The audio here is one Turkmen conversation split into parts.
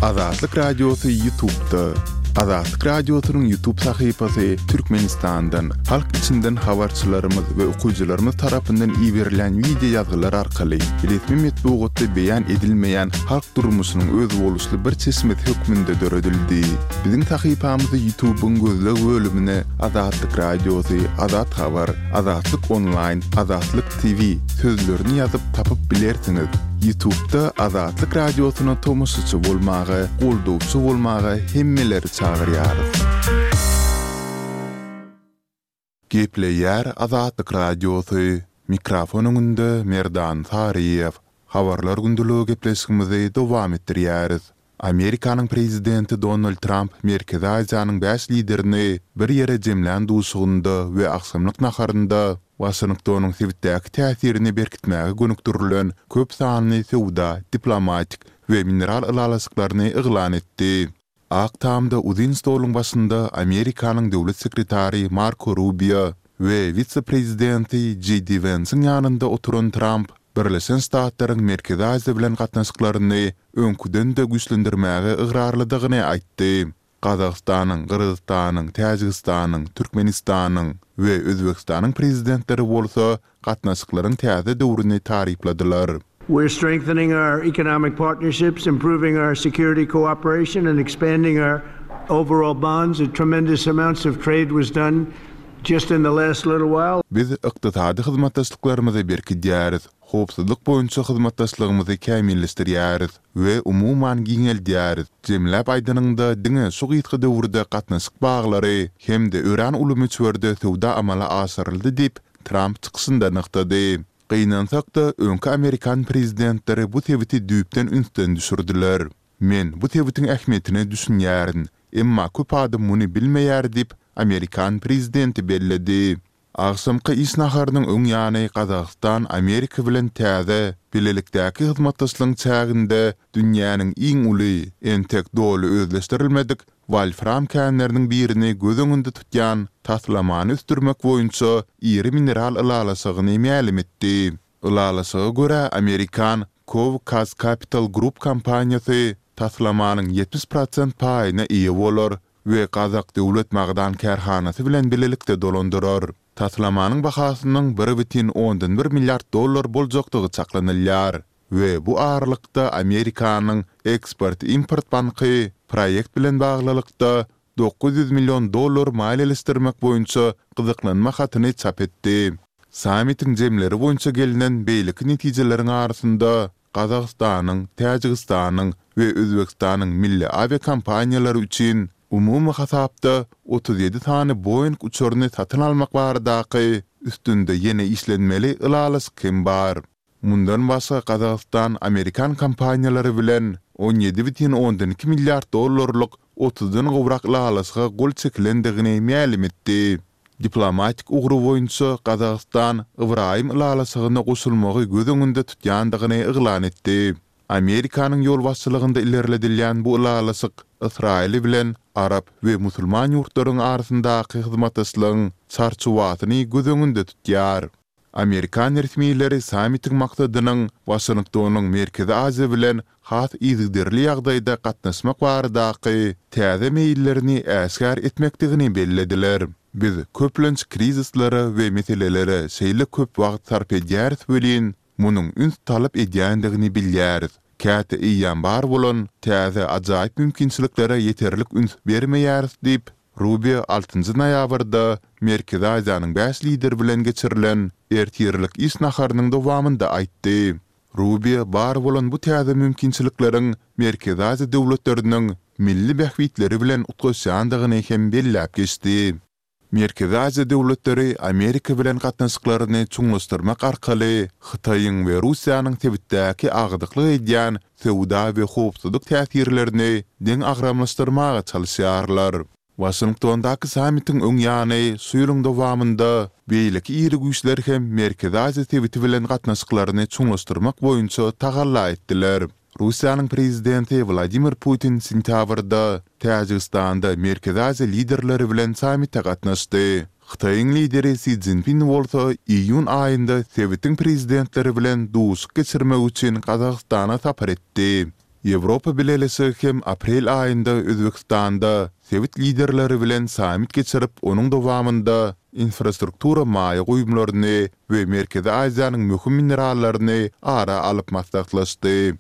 Azatlyk Radiosy Ýutubda. Azatlyk Radiosynyň Ýutub sahypasy Türkmenistandan, halk içinden habarçylarymyz we okyjylarymyz tarapyndan iberilýän wideo ýazgylar arkaly resmi metbugatda beýan edilmeýän halk durmuşynyň özboluşly bir çeşmesi hökmünde döredildi. Biziň sahypamyzy Ýutubyň gözleg bölümine Azatlyk Radiosy, Azat Habar, Azatlyk Onlaýn, Azatlyk TV sözlerini ýazyp tapyp bilersiňiz. Ýutubda Azatlyk Radiosyna tomaşaçy bolmaga, goldawçy bolmaga hemmeleri çagyrýarys. Gepleýär Azatlyk Radiosy, mikrofon öňünde Merdan Saryýew. Habarlar gündeligi gepleşigimizi dowam etdirýäris. Amerikanyň prezidenti Donald Tramp Merkezi Aziýanyň bäş liderini bir ýere jemlän duşugynda we agşamlyk naharynda Waşingtonyň sebitdäki täsirini berkitmäge gönükdirilen köp sanly söwda, diplomatik we mineral ylalaşyklaryny yglan etdi. Ak Tamda uzyn stoluň başynda Amerikanyň döwlet sekretary Marko Rubio we wise-prezidenti Jeý Di Wensiň ýanynda oturan Tramp Birleşen Ştatlaryň Merkezi Aziýa bilen gatnaşyklaryny öňküden-de güýçlendirmäge ygrarlydygyny aýtdy. Gazagystanyň, Gyrgyzystanyň, Täjigistanyň, Türkmenistanyň we Özbegistanyň prezidentleri bolsa gatnaşyklaryň täze döwrüni tarypladylar. We're strengthening our economic partnerships, improving our security cooperation and expanding our overall bonds. Tremendous amounts of trade was done just in the last little while. Biz ykdysady hyzmatdaşlyklarymyzy berkidýäris, howpsuzlyk boýunça hyzmatdaşlygymyzy kämilleşdirýäris we umuman giňeldýäris. Jemläp aýdanyňda, diňe şu gysga döwürde gatnaşyk baglary hem-de örän uly möçberde söwda amala aşyryldy diýip, Tramp çykyşynda nygtady. Gynansak-da, öňki amerikan prezidentleri bu sebiti düýpden ünsden düşürdiler. Men bu sebitiň ähmiýetine düşünýärin, emma köp adam muny bilmeýär diýip, amerikan prezidenti belledi. Agşamky iş naharynyň öň ýany Gazagystan Amerika bilen täze, bilelikdäki hyzmatdaşlygyň çäginde dünýäniň iň uly, entek doly özleşdirilmedik wolfram känleriniň birini göz öňünde tutýan taslamany ösdürmek boýunça iri mineral ylalaşygyny mälim etdi. Ylalaşyga görä, amerikan Cove Capital Group kompaniýasy taslamanyň 70 prosent paýyna eýe bolar we Gazak döwlet magdan kärhanasy bilen bilelikde dolandyrar. Taslamanyň bahasynyň 1,1 milliard dollar boljakdygy çaklanylýar we bu aralykda Amerikanyň Eksport-import banky proýekt bilen baglylykda 900 million dollar maliýeleşdirmek boýunça gyzyklanma hatyny çap etdi. Sammitiň jemleri boýunça gelnen beýleki netijeleriň arasynda Gazagystanyň, Täjigistanyň we Özbegistanyň milli awiakompaniýalary üçin umumy hasapda 37 sany Boeing uçaryny satyn almak baradaky üstünde ýene işlenmeli ylalaşyk hem bar. Mundan başga Gazagystan amerikan kompaniýalary bilen 17,2 milliard dollarlyk otuzdan gowrak ylalaşyga gol çekilendigini mälim etdi. Diplomatik ugry boýunça Gazagystan Ybraýym ylalaşygyna goşulmagy göz öňünde tutýandygyny yglan etdi. Amerikanyň ýolbaşçylygynda ilerledilýän bu ylalaşyk Ysraýyl bilen arap we musulman ýurtlaryň arasyndaky hyzmatdaşlygyň çarçuwasyny göz öňünde tutýar. Amerikan resmileri sammitiň maksadynyň Waşingtonyň Merkezi Aziýa bilen has yzygiderli ýagdaýda gatnaşmak baradaky täze meýillerini äşgär etmekdigini bellediler. Biz köplenç krizislere we meselelere şeýle köp wagt sarp edýäris welin, munuň üns talap edýändigini bilýäris. Käte eýýäm bar bolan täze ajaýyp mümkinçiliklere ýeterlik üns bermeýäris diýip, Rubio altynjy noýabrda Merkezi Aziýanyň bäş lideri bilen geçirilen ertirlik iş naharynyň dowamynda aýtdy. Rubio bar bolan bu täze mümkinçilikleriň Merkezi Aziýa döwletleriniň milli bähbitleri bilen utgaşýandygyny hem belläp geçdi. Merkezi Aziýa döwletleri Amerika bilen gatnaşyklaryny çuňlaşdyrmak arkaly Hytaýyň we Russiýanyň sebitdäki agdyklyk edýän söwda we howpsuzlyk täsirlerini deňagramlaşdyrmaga çalyşýarlar. Waşingtondaky sammitiň öň ýany şu ýylyň dowamynda beýleki iri güýçler hem Merkezi Aziýa sebiti bilen gatnaşyklaryny çuňlaşdyrmak boýunça tagalla etdiler. Russiýanyň prezidenti Wladimir Putin sentýabrda Täjigistanda Merkezi Aziýa liderleri bilen sammite gatnaşdy. Hytaýyň lideri Si Szinpin bolsa iýun aýynda sebitiň prezidentleri bilen duşuşyk geçirmek üçin Gazagystana sapar etdi. Ýewropa Bileleşigi hem aprel aýynda Özbegistanda sebit liderleri bilen sammit geçirip, onuň dowamynda infrastruktura maýa goýumlaryny we Merkezi Aziýanyň möhüm minerallaryny ara alyp maslahatlaşdy.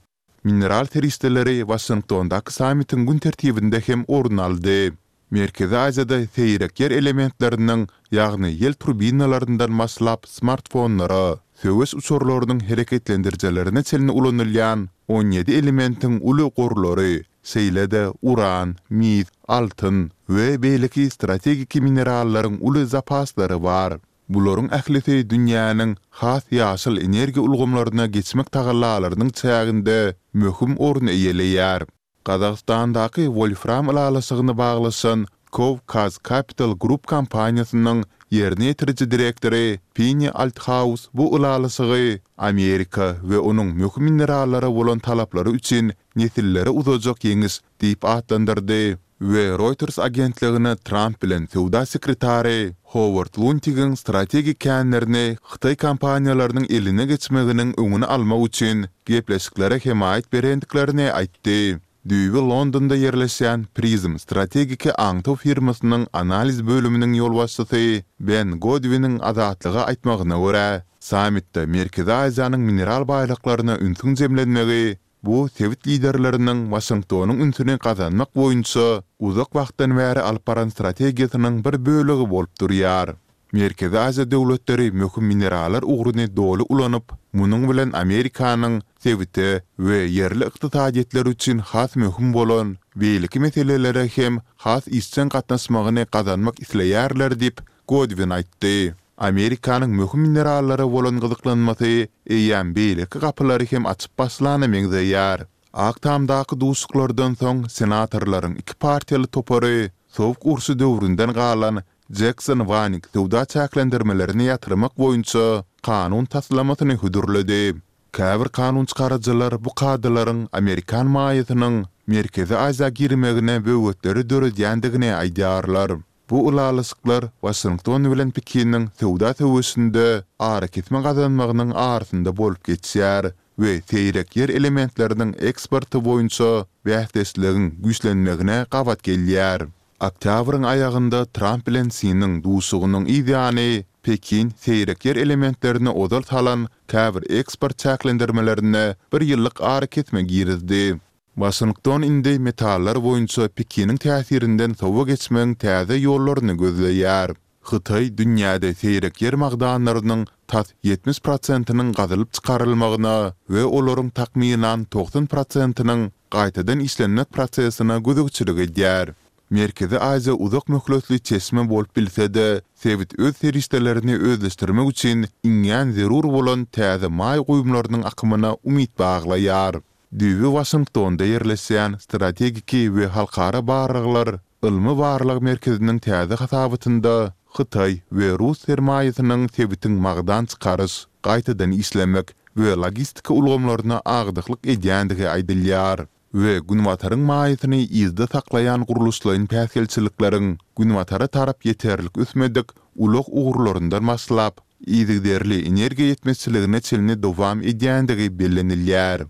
Mineral serişdeleri Waşingtondaky sammitiň gün tertibinde hem orun aldy. Merkezi Aziýada seýrek ýer elementleriniň, ýagny ýel turbinalaryndan başlap smartfonlara, söweş uçarlarynyň hereketlendirijilerine çenli ulanylýan 17 elementiň uly gorlary, şeýle-de uran, mis, altyn we beýleki strategiki minerallaryň uly zapaslary bar. Bularyň ählisi dünýäniň has ýaşyl energiýa ulgamlaryna geçmek tagallalarynyň çäginde möhüm orun eýeleýär. Gazagystandaky wolfram ylalaşygyny baglaşan Cov-Kaz Capital Group kompaniýasynyň ýerine ýetiriji direktory Penni Althaus bu ylalaşygy Amerika we onuň möhüm minerallara bolan talaplary üçin nesillere uzajak ýeňiş diýip atlandyrdy. We Reuters agentligine Tramp bilen söwda sekretary Howard Luntigiň strategik känlerini hytaý kompaniýalarynyň eline geçmeginiň öňüni almak üçin gepleşiklere hemaýat berendiklerini aýtdy. Düýbi Londonda ýerleşýän Prism strategiki aňtaw firmasynyň analiz bölüminiň ýolbaşçysy Ben Godwiniň Azatlyga aýtmagyna görä, sammitde Merkezi Aziýanyň mineral baýlyklaryna ünsüň jemlenmegi Bu sebit liderleriniň Waşingtonyň ünsüni gazanmak boýunça uzak wagtdan bäri alyp baran strategiýasynyň bir bölegi bolup durýar. Merkezi Aziýa döwletleri möhüm minerallar ugruny doly ulanyp, munuň bilen Amerikanyň sebite we ýerli ykdysadyýetler üçin has möhüm bolan beýleki meselelere hem has işjeň gatnaşmagyny gazanmak isleýärler diýip, Godwin aýtdy. Amerikanyň möhüm minerallara bolan gyzyklanmasy eýýäm beýleki gapylary hem açyp başlana meňzeýär. Ak Tamdaky duşuşyklardan soň senatorlaryň iki partiýaly topary Sowuk urşy döwründen galan Jekson-Wanik söwda çäklendirmelerini ýatyrmak boýunça kanun taslamasyny hödürledi. Käbir kanunçykaryjylar bu kadalaryň amerikan maýasynyň Merkezi Aziýa girmegine böwetleri döredýändigini aýdýarlar. Bu ylalaşyklar Waşington bilen Pekiniň söwda söweşinde arakesme gazanmagynyň arasynda bolup geçýär we seýrek ýer elementleriniň eksporty boýunça bäsdeşligiň güýçlenmegine gabat gelýär. Oktýabryň aýagynda Tramp bilen Siniň duşugynyň yz ýany, Pekin seýrek ýer elementlerine ozal salan käbir eksport çäklendirmelerine bir ýyllyk arakesme girizdi. Waşington indi metallar boýunça Pekiniň täsirinden sowa geçmegiň täze ýollaryny gözleýär. Hytaý dünýäde seýrek ýer magdanlarynyň tas 70 prosentiniň gazylyp çykarylmagyna we olaryň takmynan 90 prosentiniň gaýtadan işlenmek prosesine gözegçilik edýär. Merkezi Aziýa uzak möhletli çeşme bolup bilse-de, sebit öz serişdelerini özleşdirmek üçin iňňän zerur bolan täze maýa goýumlarynyň akymyna umyt baglaýar. Düýbi Waşingtonda ýerleşýän Strategiki we halkara barlaglar ylmy-barlag merkeziniň täze hasabatynda hytaý we rus sermaýasynyň sebitiň magdan çykaryş, gaýtadan işlemek we logistika ulgamlaryna agdyklyk edýändigi aýdylýar we Günbataryň maýasyny yzda saklaýan gurluşlaýyn päsgelçilikleriň Günbatara tarap ýeterlik ösmedik ulag ugurlaryndan başlap, yzygiderli energiýa ýetmezçiligine çenli dowam edýändigi bellenilýär.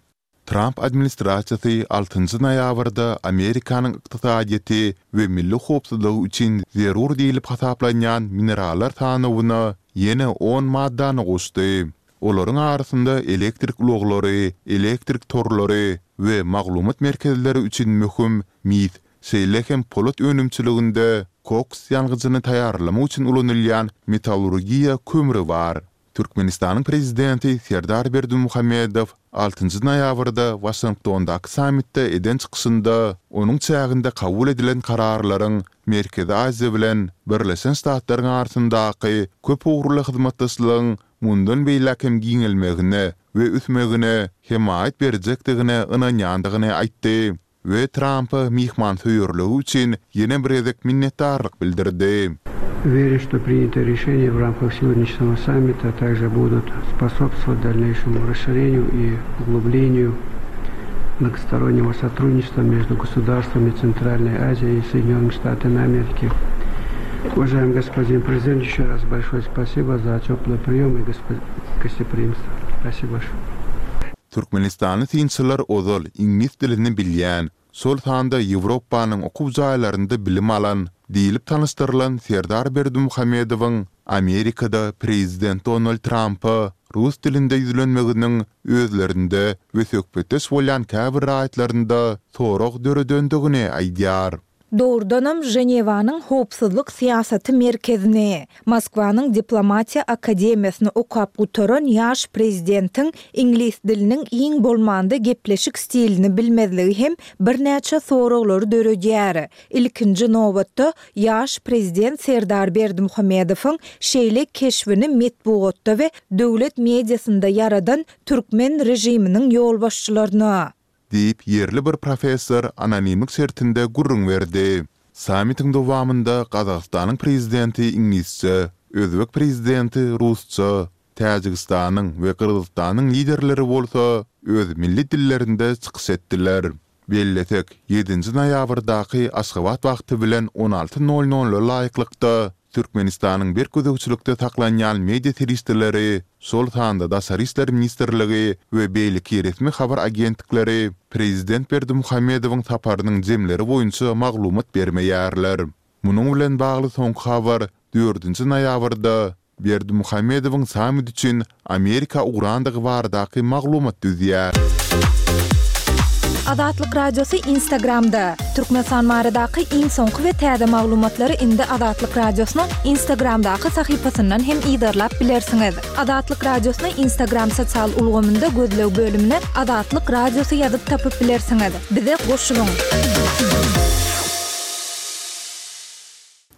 Tramp administrasiýasy altynjy noýabrda Amerikanyň ykdysadyýeti we milli howpsuzlygy üçin zerur diýlip hasaplanýan minerallar sanawyna ýene on maddany goşdy. Olaryň arasynda elektrik ulaglary, elektrik torlary we maglumat merkezleri üçin möhüm mis, şeýle hem polat önümçiliginde koks ýangyjyny taýýarlamak üçin ulanylýan metallurgiýa kömri bar. Türkmenistanyň Prezidenti Serdar Berdimuhamedow altynjy noýabrda Waşingtondaky sammitde eden çykyşynda onuň çäginde kabul edilen kararlaryň Merkezi Aziýa bilen Birleşen Ştatlaryň arasyndaky köpugurly hyzmatdaşlygyň mundan beýläk hem giňelmegine we ösmegine hemaýat berjekdigine ynanýandygyny aýtdy. We Trampa myhmansöýerligi üçin ýene bir gezek minnetdarlyk bildirdi. Уверен, что принятые решения в рамках сегодняшнего саммита также будут способствовать дальнейшему расширению и углублению многостороннего сотрудничества между государствами Центральной Азии и Соединенными Штатами Америки. Уважаемый господин президент, еще раз большое спасибо за теплый прием и гостеприимство. Спасибо большое. Türkmenistanly synçylar ozal iňlis dilini bilýän, şol sanda Ýewropanyň okuw jaýlarynda bilim alan diýlip tanyşdyrylan Serdar Berdimuhamedowyň Amerikada prezident Donald Trampa rus dilinde ýüzlenmeginiň özlerinde we söhbetdeş bolýan käbir raýatlarynda sorag döredendigini aýdýar. Dogrudanam, Ženewanyň Howpsuzlyk syýasaty merkezini, Moskwanyň Diplomatiýa akademiýasyny okap gutaran ýaş prezidentiň iňlis diliniň iň bolmanda gepleşik stilini bilmezligi hem birnäçe soraglary döredýär. Ilkinji nobatda, ýaş prezident Serdar Berdimuhamedowyň şeýle keşbini metbugatda we döwlet mediasynda ýaradan türkmen režiminiň ýolbaşçylaryna. Diýip, ýerli bir professor anonimlik şertinde gürrüň berdi. Sammitiň dowamynda Gazagystanyň prezidenti iňlisçe, özbek prezidenti rusça, Täjigistanyň we Gyrgyzystanyň liderleri bolsa öz milli dillerinde çykyş etdiler. Bellesek, ýedinji noýabrdaky Aşgabat wagty bilen on alty nol nola laýyklykda Türkmenistanyň berk gözegçilikde saklanýan media serişdeleri, şol sanda Daşary işler ministrligi we beýleki resmi habar agentlikleri prezident Berdimuhamedowyň saparynyň jemleri boýunça maglumat bermeýärler. Munuň bilen bagly soňky habar dördünji noýabrda Berdimuhamedowyň sammit üçin Amerika ugrandygy baradaky maglumat düzýär. Azatlyk Radiosy Instagramda, Türkmenistan baradaky iň soňky we täze maglumatlary indi Azatlyk Radiosynyň Instagramdaky sahypasyndan hem yzarlap bilersiňiz. Azatlyk Radiosyny Instagram sosial ulgamynda gözleg bölümine Azatlyk Radiosy ýazyp tapyp bilersiňiz. Bize goşulyň!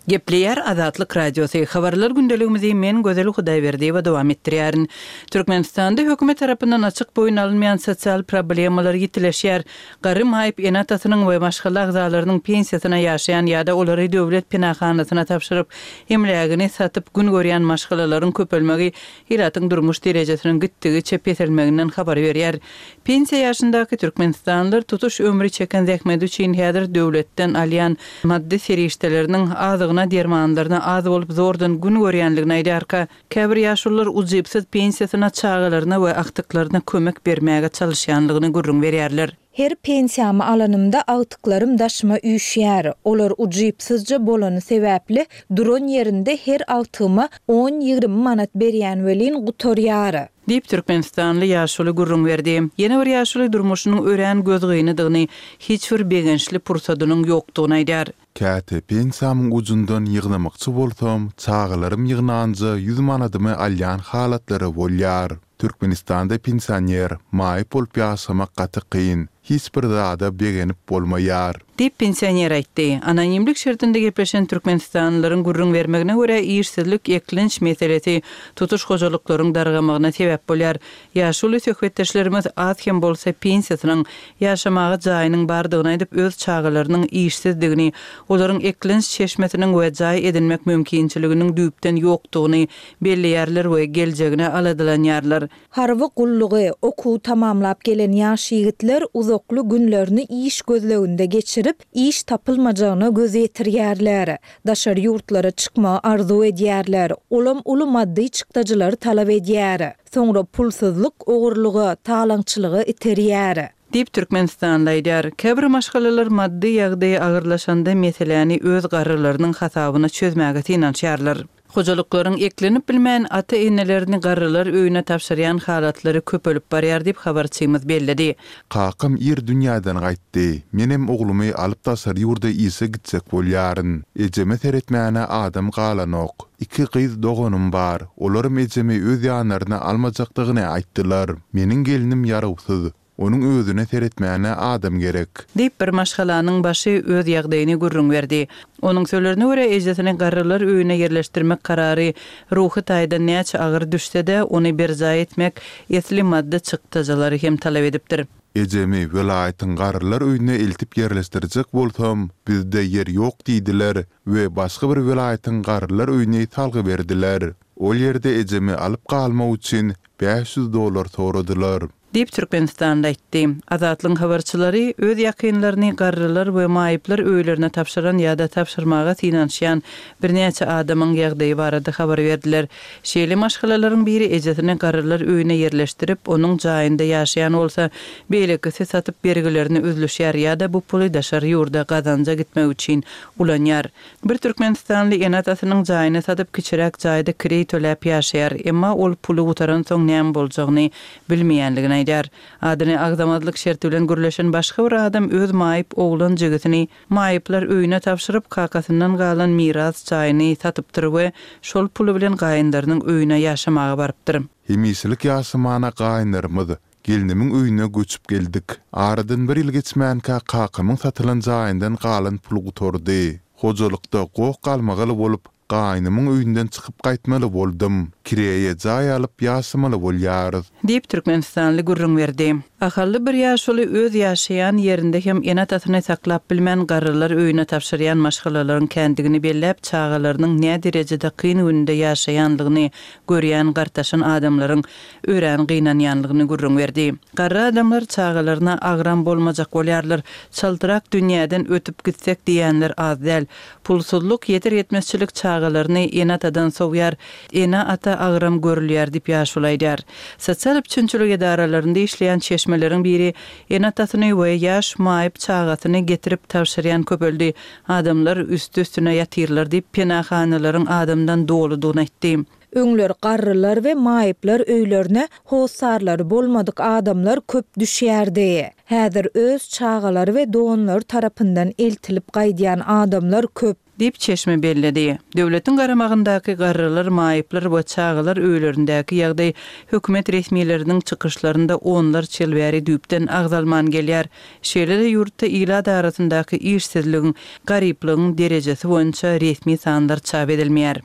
Gepleýär Azatlyk Radiosy, Habarlar gündeligimizi men Gözel Hudaýberdiýewa dowam etdirýärin. Türkmenistanda hökümet tarapyndan açyk boýun alynmaýan sosial problemalar ýitileşýär. Garry maýyp ene-atasynyň we maşgala agzalarynyň pensiýasyna ýaşaýan ýa-da olary döwlet penahanasyna tabşyryp, emlägini satyp gün görýän maşgalalaryň köpelmegi ilatyň durmuş derejesiniň gitdigiçe peselmeginden habar berýär. Pensiýa ýaşyndaky türkmenistanlylar tutuş ömri çeken zähmeti üçin häzir döwletden alýan maddy serişdeleriniň azygyna, dermanlaryna az bolup zordan gün görýänligini aýdýarka, käbir ýaşulular ujypsyz pensiýasyna çagalaryna we agtyklaryna kömek bermäge çalyşýanlygyny gürrüň berýärler. Her pensiýamy alanymda agtyklarym daşyma üýşýär. Olar ujypsyzja bolany sebäpli duran ýerinde her agtygyma on-ýigrimi manat berýän welin gutarýar. Diýip, türkmenistanly ýaşuly gürrüň berdi. Ýene bir ýaşuly durmuşynyň örän gözgynydygyny, hiç bir begençli pursadynyň ýokdugyny aýdýar. Käte pensiýamyň ujundan ýygnamakçy bolsam, çagalarym ýygnanja ýüz manadymy alýan halatlary bolýar. Türkmenistanda pensioner, maýyp bolup ýaşamak gaty kyn, hiç bir zada begenip bolmaýar. Diýip, pensioner aýtdy. Anonimlik şertinde gepleşen türkmenistanlylaryň gürrüň bermegine görä, işsizlik, eklenç meselesi tutuş hojalyklaryň dargamagyna sebäp bolýar. Ýaşuly söhbetdeşlerimiz az hem bolsa pensiýasynyň, ýaşamaga jaýynyň bardygyny aýdyp, öz çagalarynyň işsizdigini, olaryň eklenç çeşmesiniň we jaý edinmek mümkinçiliginiň düýpden ýokdugyny belleýärler we geljegine aladalanýarlar. Harby gullugy, okuwy tamamlap gelen ýaş ýigitler uzakly günlerini iş gözleginde geçirip, iş tapylmajagyna göz ýetirýärler. Daşary ýurtlara çykmagy arzuw edýärler, olam uly maddy çykdajylary talap edýär. Soňra pulsuzlyk ogurlyga, talaňçylyga iterýär. Diýip, türkmenistanly aýdýar. Käbir maşgalalar maddy ýagdaýy agyrlaşanda meseläni öz garrylarynyň hasabyna çözmäge synanyşýarlar. Hojalyklaryň eklenip bilmän, ata-enelerini garrylar öýüne tabşyrýan halatlary köpelip barýar diýip, habarçymyz belledi. Kakam ir dünýäden gaýtdy. Menem oglumy alyp daşary ýurda işe gitjek bolýaryn. Ejeme seretmäne adam galanok. Iki gyz doganym bar. Olaram ejemi öz ýanlaryna almajakdygyny aýtdylar. Meniň gelnim ýarawsyz. Onuň özüne seretmäne adam gerek. Diýip, bir maşgalanyň başy öz ýagdaýyny gürrüň berdi. Onuň sözlerine görä, ejesini garrylar öýüne ýerleşdirmek karary ruhy taýdan näçe agyr düşse-de, ony berjaý etmek esli maddy çykdajylary hem talap edipdir. Ejemi welaýatyň garrylar öýüne eltip ýerleşdirjek bolsam, bizde ýer ýok diýdiler we başga bir welaýatyň garrylar öýüni salgy berdiler. Ol ýerde ejemi alyp galmak üçin 500 dollar soradylar. Diýip, türkmenistanly aýtdy. Azatlygyň habarçylary öz ýakynlaryny garrylar we maýyplar öýlerine tabşyran ýa-da tabşyrmaga synanyşýan birnäçe adamyň ýagdaýy barada habar berdiler. Şeýle maşgalalaryň biri ejesini garrylar öýüne ýerleşdirip, onuň jaýynda ýaşaýan bolsa, beýlekisi satyp bergilerini üzlüşýär ýa-da bu puly daşary ýurda gazanja gitmek üçin ulanýar. Bir türkmenistanly ene-atasynyň jaýyny satyp, kiçiräk jaýda kireý töläp ýaşaýar. Emma ol puly gutaransoň näme boljagyny bilmeýänligini aýdýar. Adyny agzamazlyk şerti bilen gürleşen başga bir adam öz maýyp oglan jigisini maýyplar öýüne tabşyryp, kakasyndan galan miras jaýyny satypdyr we şol puly bilen gaýynlarynyň öýüne ýaşamaga barypdyr. Hemişelik ýaşamana gaýynlarymyz Gelnimiň öýüne göçüp geldik. Aradan bir ýyl geçmänkä kakamyň satylan jaýyndan galan pul gutardy. Hojalykda goh-galmagal bolup, gaýnymyň öýünden çykyp gaýtmaly boldum. Kireýe jaý alyp ýaşamaly bolýarys. Diýip, türkmenistanly gürrüň berdi. Ahally bir ýaşuly öz ýaşaýan ýerinde hem ene-atasyny saklap bilmän garrylar öýüne tabşyrýan maşgalalaryň kändigini belläp, çagalarynyň näderejede kyn günde ýaşaýanlygyny görýän gartaşan adamlaryň örän gynanýanlygyny gürrüň berdi. Garry adamlar çagalaryna agram bolmajak bolýarlar. Çaltrak dünýäden ötüp gitsek diýýänler az däl. Pulsuzlyk, ýeter-ýetmezçilik çagalaryny ene-atadan sowýar. Ene-ata agram görülýär diýip ýaşuly aýdýar. Sosial üpjünçilik edaralarynda işleýän çeşmeleriň biri ene-atasyny we ýaş maýyp çagasyny getirip tabşyrýan köpeldi. Adamlar üsti-üstüne ýatyrlar diýip, penahanalaryň adamdan doludygyny aýtdy. Öňler garrylar we maýyplar öýlerine hossarlary bolmadyk adamlar köp düşýärdi. Häzir öz çagalary we doganlary tarapyndan eltilip gaýdýan adamlar köp. Diýip, çeşme belledi. Döwletiň garamagyndaky garrylar, maýyplar we çagalar öýlerindäki ýagdaý hökümet resmileriniň çykyşlarynda onlarça ýyl bäri düýpden agzalman gelýär. Şeýle-de ýurtda ilat arasyndaky işsizligiň, garyplygyň derejesi boýunça resmi sanlar çap edilmeýär.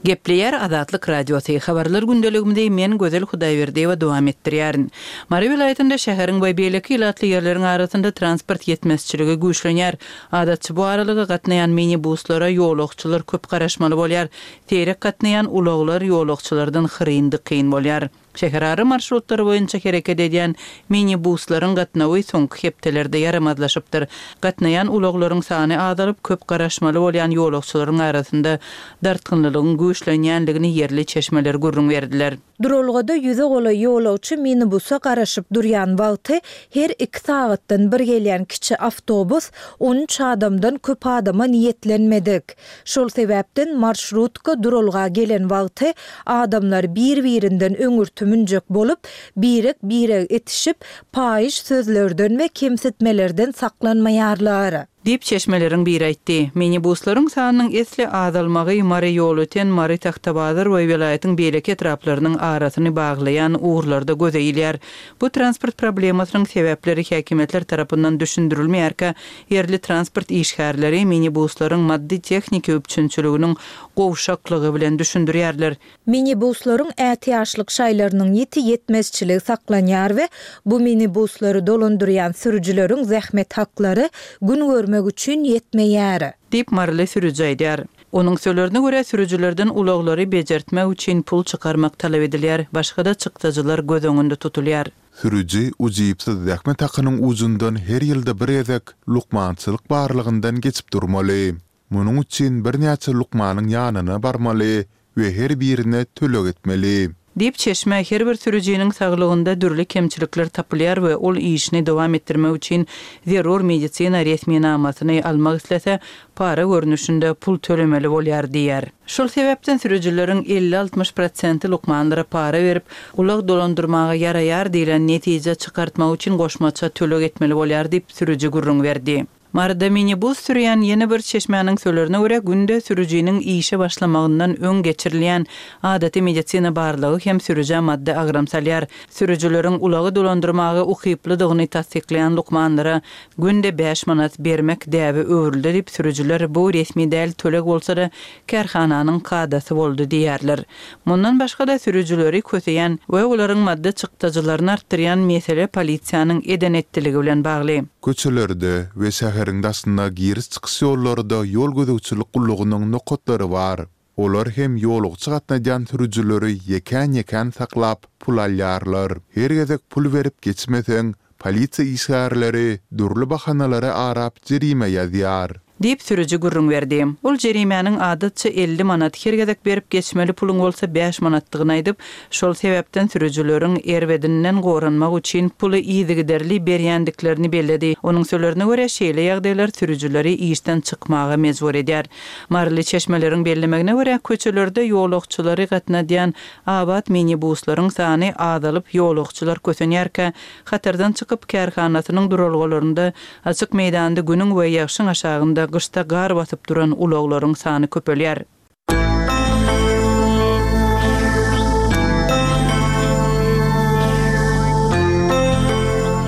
Gepleýär Azatlyk Radiosy, Habarlar gündeligimizi men Gözel Hudaýberdiýewa dowam etdirýärin. Mary welaýatynda şäheriň we beýleki ilatly ýerleriň arasynda transport ýetmezçiligi güýçlenýär. Adatça bu aralyga gatnaýan minibuslara ýolagçylar köp garaşmaly bolýar. Seýrek gatnaýan ulaglar ýolagçylardan hyryn-dykyn bolýar. Şäherara marşrutlar boýunça hereket edýän minibuslaryň gatnawy soňky hepdelerde ýaramazlaşypdyr. Gatnaýan ulaglaryň sany azalyp, köp garaşmaly bolýan ýolagçylaryň arasynda dartgynlylygyň güýçlenýändigini ýerli çeşmeler gürrüň berdiler. Duralgada ýüze golaý ýolagçy minibusa garaşyp durýan wagty her iki sagatdan bir gelýän kiçi awtobus 13 adamdan köp adama niýetlenmedik. Şol sebäpden marşrutka duralga gelen wagty adamlar bir-birinden öňürti münjek bolup, birek-biregi itişip, paýyş sözlerden we kemsitmelerden saklanmaýarlar. Diýip, çeşmeleriň biri aýtdy. Minibuslaryň sanynyň esli azalmagy Mary-Ýolöten, Mary-Tagtabazar we welaýatyň beýleki etraplarynyň arasyny baglaýan ugurlarda göze ilýär. Bu transport problemasynyň sebäpleri häkimiýetler tarapyndan düşündirilmeýärkä, Ýerli transport işgärleri minibuslaryň maddy-tehniki üpjünçiliginiň gowşaklygy bilen düşündirýärler. Minibuslaryň ätiýaçlyk şaýlarynyň ýiti ýetmezçiligi saklanýar we bu minibuslary dolandyrýan sürüjileriň zähmet haklary gün görmek üçin ýetmeýär. Diýip, maryly sürüji aýdýar. Onuň sözlerine görä, sürüjilerden ulaglary bejertmek üçin pul çykarmak talap edilýär, başga-da çykdajylar göz öňünde tutulýar. Sürüji ujypsyz zähmet hakynyň ujundan her ýylda bir gezek lukmançylyk barlagyndan geçip durmaly. Munuň üçin birnäçe lukmanyň ýanyna barmaly we her birine töleg etmeli. Diýip, çeşme, her bir sürüjiniň saglygynda dürli kemçilikler tapylýar we ol işini dowam etdirmek üçin zerur medisina resminamasyny almak islese, para görnüşinde pul tölemeli bolýar diýýär. Şol sebäpden sürüjileriň 50-60 prosenti lukmanlara para berip, ulag dolandyrmaga ýaraýar diýlen netije çykartmak üçin goşmaça töleg etmeli bolýar diýip, sürüji gürrüň berdi. Maryda minibus sürýän ýene bir çeşmäniň sözlerine görä, günde sürüjiniň işe başlamagyndan öň geçirilýän adaty medisina barlagy hem sürüjä maddy agram salýar. Sürüjileriň ulagy dolandyrmaga ukyplydygyny tassyklaýan lukmanlara Günde bäş manat bermek däbe öwrüldi diýip, sürüjiler bu resmi däl töleg bolsa-da, kärhananyň kadasy boldy diýýärler. Mundan başga-da, sürüjileri köseýän we olaryň maddy çykdajylaryny artdyrýan mesele polisiýanyň eden-etdiligi bilen bagly. Köçelerde we şäheriň daşynda giriş-çykyş ýollarda ýol gözegçilik gullugynyň nokatlary bar. Olar hem ýolagçy gatnadýan sürüjileri ýekän-ýekän saklap, pul alýarlar. Her gezek pul berip geçmeseň, polisiýa işgärleri dürli bahanalary arap jerime ýazýar. Diýip, sürüji gürrüň berdi. Ol jerimäniň adatça 50 manat, her gezek berip geçmeli puluň bolsa bäş manatdygyny aýdyp, şol sebäpden sürüjileriň erbedinden goranmak üçin puly yzygiderli berýändiklerini belledi. Onuň sözlerine görä, şeýle ýagdaýlar sürüjileri işden çykmaga mejbur edýär. Maryly çeşmeleriň bellemegine görä, köçelerde ýolagçylary gatnadýan abat minibuslaryň sany azalyp, ýolagçylar kösenýärkä, hatardan çykyp, kärhanasynyň duralgalarynda açyk meýdanda günüň we ýagşyň aşagynda gyşda gar basyp duran ulaglaryň sany köpelýär.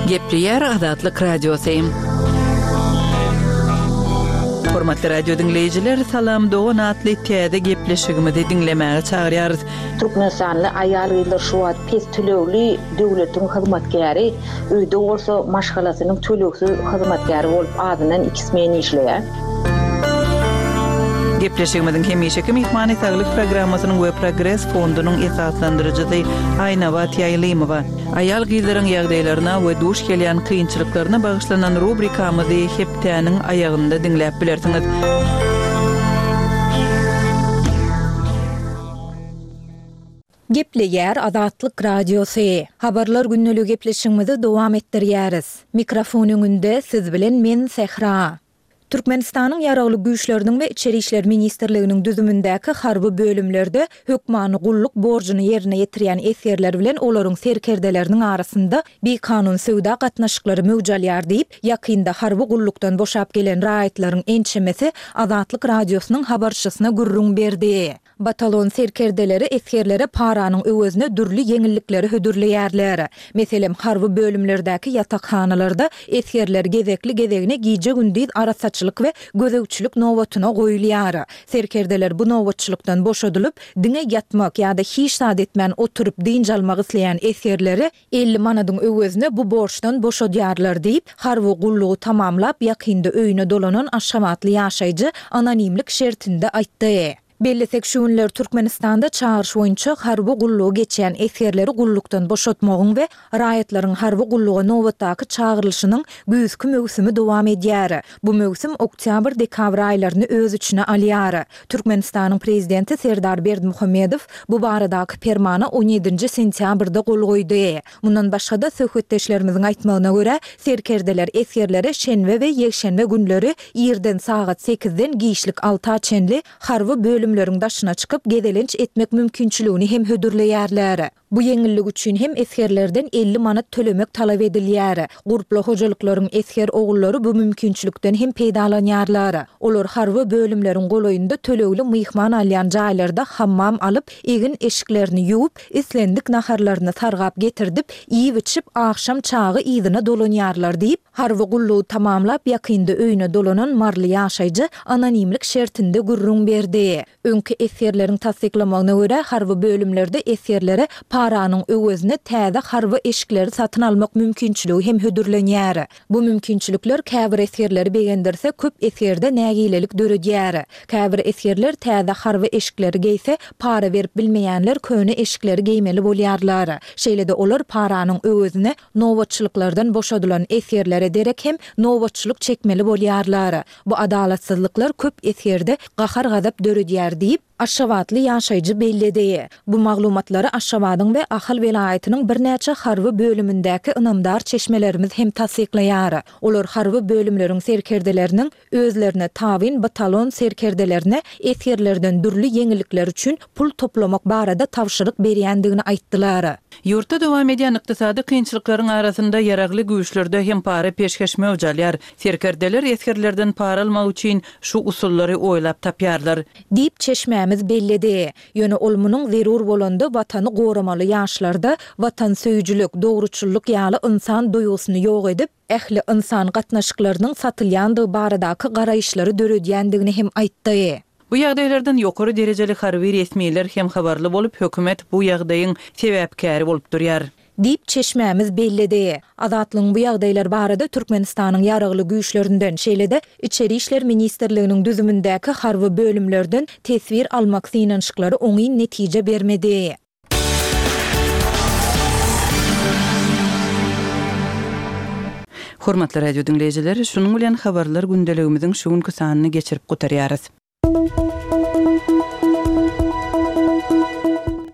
Gepleýär Azatlyk Radiosy. Hormatly radio diňleýjiler, Salam dogan atly täze gepleşigimizi diňlemäge çagyrýarys. Türkmenistanly aýal-gyzlar şu wagt pes tölegli döwletiň hyzmatkäri, öýde bolsa maşgalasynyň tölegsiz hyzmatkäri bolup azyndan iki smen işleýär. Gepleşigimiziň hemişeki myhmany Saglyk programmasynyň we Progres fondunyň esaslandyryjysy Aýnabat Ýaýlymowa. Aýal-gyzlaryň ýagdaýlaryna we duş gelýän kynçylyklaryna bagyşlanan rubrikamyzy hepdäniň aýagynda diňläp bilersiňiz. Gepleýär Azatlyk Radiosy. Habarlar gündeligi gepleşigimizi dowam etdirýäris. Mikrofon öňünde siz bilen men Sähra. Türkmenistanyň Ýaragly Güýçleriniň we Içeri işler ministrliginiň düzümindäki harby bölümlerde hökmany gulluk borjuny ýerine ýetirýän esgerler bilen olaryň serkerdeleriniň arasynda bikanun söwda gatnaşyklary möwç alýar diýip, ýakynda harby gullukdan boşap gelen raýatlaryň ençemesi Azatlyk Radiosynyň habarçysyna gürrüň berdi. Batalon serkerdeleri esgerlere paranyň öwezine dürli ýeňillikleri hödürleýärler. Meselem, harby bölümlerdäki ýatakhanalarda esgerler gezekli-gezegine gije-gündiz arassaçylyk we gözegçilik nobatyna goýulýar. Serkerdeler bu nobatçylykdan boşadylyp, diňe ýatmak ýa-da hiç zat etmän oturyp dynç almak isleýän esgerleri 50 manadyň öwezine bu borçdan boşadýarlar diýip, harby gullugy tamamlap, ýakynda öýüne dolanan aşgabatly ýaşaýjy anonimlik şertinde aýtdy. Bellesek, şu günler Türkmenistanda çagyryş boýunça harby gullugy geçýän esgerleri gullukdan boşatmagyň we raýatlaryň harby gulluga nobatdaky çagyrylyşynyň güýzki möwsümi dowam edýär. Bu möwsüm oktýabr-dekabr aýlaryny öz içine alýar. Türkmenistanyň Prezidenti Serdar Berdimuhamedow bu baradaky permana on ýedinji sentýabrda gol goýdy. Mundan başga-da, söhbetdeşlerimiziň aýtmagyna görä, serkerdeler esgerlere şenbe we ýekşenbe günleri irden sagat sekizden giçlik alta çenli harby bölümleriň daşyna çykyp gezelenç etmek mümkinçiligini hem hödürleýärler. Bu ýeňillik üçin hem esgerlerden 50 manat tölemek talap edilýär. Gurply hojalyklaryň esger ogullary bu mümkinçilikden hem peýdalanýarlar. Olar harby bölümleriň golaýynda tölegli myhman alýan jaýlarda hammam alyp, egin-eşiklerini ýuwup, islendik naharlaryny sargap getirdip, iýip-içip, agşam çagy yzyna dolanýarlar diýip, harby gullugy tamamlap, ýakynda öýüne dolanan maryly ýaşaýjy anonimlik şertinde gürrüň berdi. Öňki esgerleriň tassyklamagyna görä, harby bölümlerde esgerlere paranyň öwezine täze harby eşikleri satyn almak mümkinçiligi hem hödürlenýär. Bu mümkinçilikler käbir esgerleri begendirse, köp esgerde nägilelik döredýär. Käbir esgerler täze harby eşikleri geýse, para berip bilmeýänler köne eşikleri geýmeli bolýarlar. Şeýle-de olar paranyň öwezine nobatçylyklardan boşadylan esgerlere derek hem nobatçylyk çekmeli bolýarlar. Bu adalatsyzlyklar köp esgerde gahar-gazap döredýär diýip, aşgabatly ýaşaýjy belledi. Bu maglumatlary Aşgabadyň we Ahal welaýatynyň birnäçe harby bölümindäki ynamdar çeşmelerimiz hem tassyklaýar. Olar harby bölümleriň serkerdeleriniň özlerine tabyn batalon serkerdelerine esgerlerden dürli ýeňillikler üçin pul toplamak barada tabşyryk berýändigini aýtdylar. Ýurtda dowam edýän ykdysady kynçylyklaryň arasynda ýaragly güýçlerde hem para-peşgeş möwç alýar. Serkerdeler esgerlerden para almak üçin şu usullary oýlap tapýarlar. Diýip, çeşmämiz belledi. Ýöne ol munuň zerur bolanda Watany goramaly ýaşlarda watansöýüjilik, dogruçyllyk ýaly ynsan duýgusyny ýok edip, ähli ynsan gatnaşyklarynyň satylýandygy baradaky garaýyşlary döredýändigini hem aýtdy. Bu ýagdaýlardan ýokary derejeli harby resmiler hem habarly bolup, hökümet bu ýagdaýyň sebäpkäri bolup durýar. Diýip, çeşmämiz belledi. Azatlygyň bu ýagdaýlar barada Türkmenistanyň Ýaragly Güýçlerinden, şeýle-de Içeri işler ministrliginiň düzümindäki harby bölümlerden teswir almak synanyşyklary oňyn netije bermedi. Hormatly radio diňleýjiler, şunuň bilen Habarlar gündeligimiziň şu günki sanyny geçirip gutarýarys.